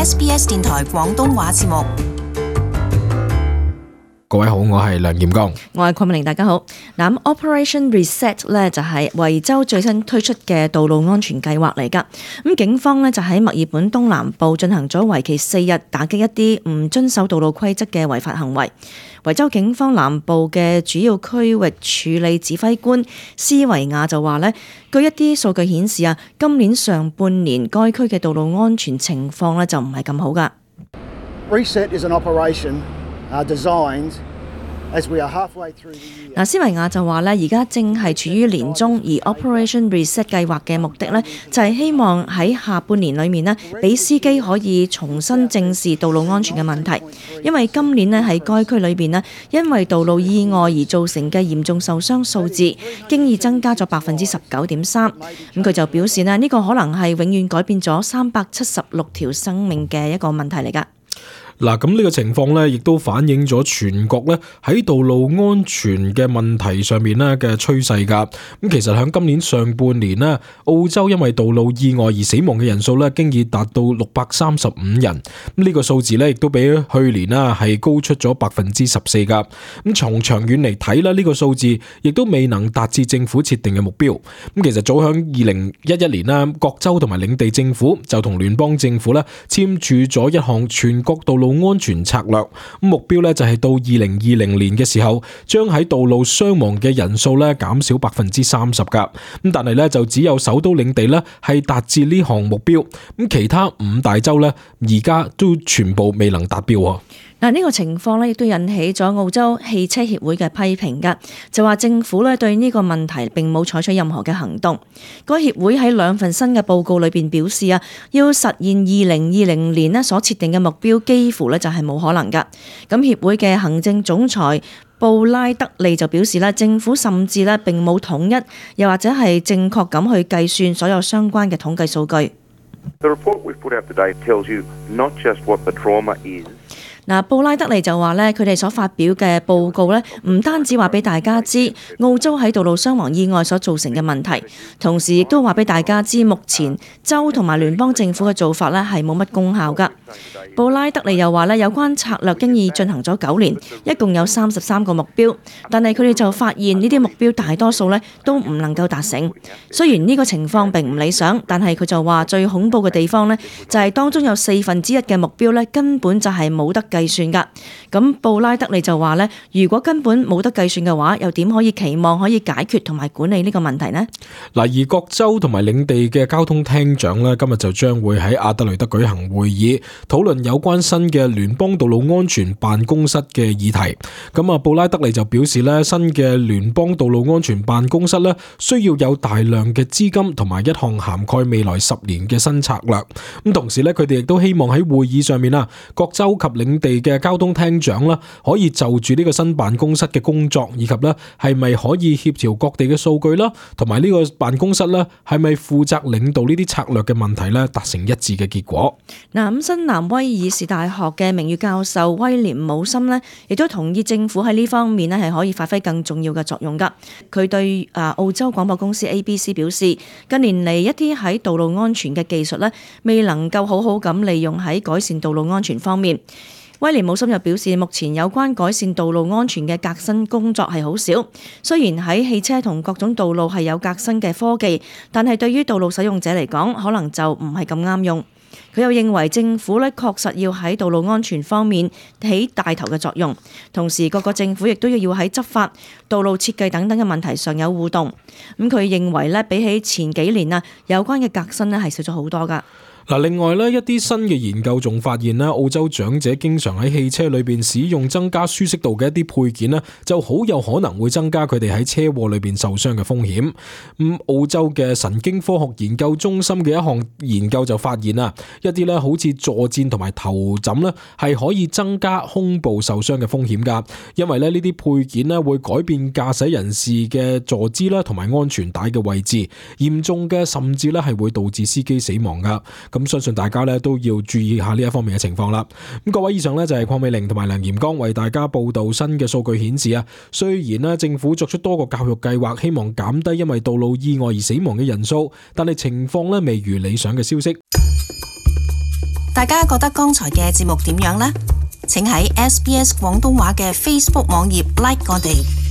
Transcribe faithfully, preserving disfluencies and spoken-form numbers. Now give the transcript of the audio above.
S B S 電台廣東話節目。各位好，我係梁炎剛，我係鄺美玲，大家好。嗱，Operation Reset 咧就係維州最新推出嘅道路安全計劃嚟噶。咁警方咧就喺墨爾本東南部進行咗為期四日打擊一啲唔遵守道路規則嘅違法行為。維州警方南部嘅主要區域處理指揮官斯維亞就話咧，據一啲數據顯示啊，今年上半年該區嘅道路安全情況咧就唔係咁好噶。Reset is an operation Uh, designed as we are halfway through the year. 嗱，斯維亞就話咧，而家正係處於年中，而 Operation Reset 計劃嘅目的咧，就係希望喺下半年裏面呢，俾司機可以重新正視道路安全嘅問題。因為今年呢，喺該區裏邊呢，因為道路意外而造成嘅嚴重受傷數字，經已增加咗百分之十九點三。咁佢就表示呢，呢個可能係永遠改變咗三百七十六條生命嘅一個問題嚟㗎。嗱，咁呢個情況咧，亦都反映咗全國咧喺道路安全嘅問題上面咧嘅趨勢㗎。咁其實喺今年上半年咧，澳洲因為道路意外而死亡嘅人數咧，經已達到六百三十五人。咁呢個數字咧，亦都比去年啦係高出咗百分之十四㗎。咁從長遠嚟睇咧，呢個數字亦都未能達至政府設定嘅目標。咁其實早喺二零一一年啦，各州同埋領地政府就同聯邦政府咧簽署咗一項全國道路安全策略，目標咧就係到二零二零年嘅時候，將喺道路傷亡嘅人數咧減少百分之三十噶。咁但係咧就只有首都領地咧係達至呢項目標，咁其他五大州咧而家都全部未能達標。嗱，呢個情況咧亦都引起咗澳洲汽車協會嘅批評㗎，就話政府咧對呢個問題並冇採取任何嘅行動。該協會喺兩份新嘅報告裏邊表示啊，要實現二零二零年咧所設定嘅目標，幾乎咧就係冇可能㗎。咁協會嘅行政總裁布拉德利就表示咧，政府甚至咧並冇統一，又或者係正確咁去計算所有相關嘅統計數據。The report we've put out today tells you not just what the trauma is.嗱，布拉德利就話咧，佢哋所發表嘅報告咧，唔單止話俾大家知澳洲喺道路傷亡意外所造成嘅問題，同時亦都話俾大家知目前州同埋聯邦政府嘅做法咧係冇乜功效㗎。布拉德利又話咧，有關策略經已進行咗九年，一共有三十三個目標，但係佢哋就發現呢啲目標大多數咧都唔能夠達成。雖然呢個情況並唔理想，但係佢就話最恐怖嘅地方咧，就係當中有四分之一嘅目標咧根本就係冇得計算㗎。咁布拉德利就話咧，如果根本冇得計算嘅話，又點可以期望可以解決同埋管理呢個問題呢？嗱，而各州同埋領地嘅交通廳長咧，今日就將會喺阿德雷德舉行會議，討論有關新嘅聯邦道路安全辦公室嘅議題。咁啊，布拉德利就表示咧，新嘅聯邦道路安全辦公室咧，需要有大量嘅資金同埋一項涵蓋未來十年嘅新策略。咁同時咧，佢哋亦都希望喺會議上面啊，各州及領地嘅交通廳長啦，可以就住呢個新辦公室嘅工作，以及咧係咪可以協調各地嘅數據啦，同埋呢個辦公室咧係咪負責領導呢啲策略嘅問題咧，達成一致嘅結果。嗱，咁新南威爾士大學嘅名譽教授威廉姆森呢，亦都同意政府喺呢方面呢係可以發揮更重要嘅作用㗎。佢對啊澳洲廣播公司 A B C 表示，近年嚟一啲喺道路安全嘅技術呢，未能夠好好咁利用喺改善道路安全方面。威廉姆森又表示，目前有關改善道路安全嘅革新工作係好少。雖然喺汽車同各種道路係有革新嘅科技，但係對於道路使用者嚟講，可能就唔係咁啱用。佢又認為政府咧確實要喺道路安全方面起帶頭嘅作用，同時各個政府亦都要喺執法、道路設計等等嘅問題上有互動。咁佢認為咧，比起前幾年啊，有關嘅革新咧係少咗好多㗎。嗱，另外咧，一啲新嘅研究仲發現咧，澳洲長者經常喺汽車裏邊使用增加舒適度嘅一啲配件咧，就好有可能會增加佢哋喺車禍裏邊受傷嘅風險。咁澳洲嘅神經科學研究中心嘅一項研究就發現啊，一啲咧好似坐墊同埋頭枕咧，係可以增加胸部受傷嘅風險噶，因為咧呢啲配件咧會改變駕駛人士嘅坐姿啦，同埋安全帶嘅位置，嚴重嘅甚至咧係會導致司機死亡噶。咁相信大家咧都要注意下呢一方面嘅情況啦。咁各位，以上咧就係鄺美玲同埋梁炎剛為大家報道新嘅數據顯示啊，雖然咧政府作出多個教育計劃，希望減低因為道路意外而死亡嘅人數，但係情況咧未如理想嘅消息。大家覺得剛才嘅節目點樣呢？請喺 S B S 廣東話嘅 Facebook 網頁 like 我哋。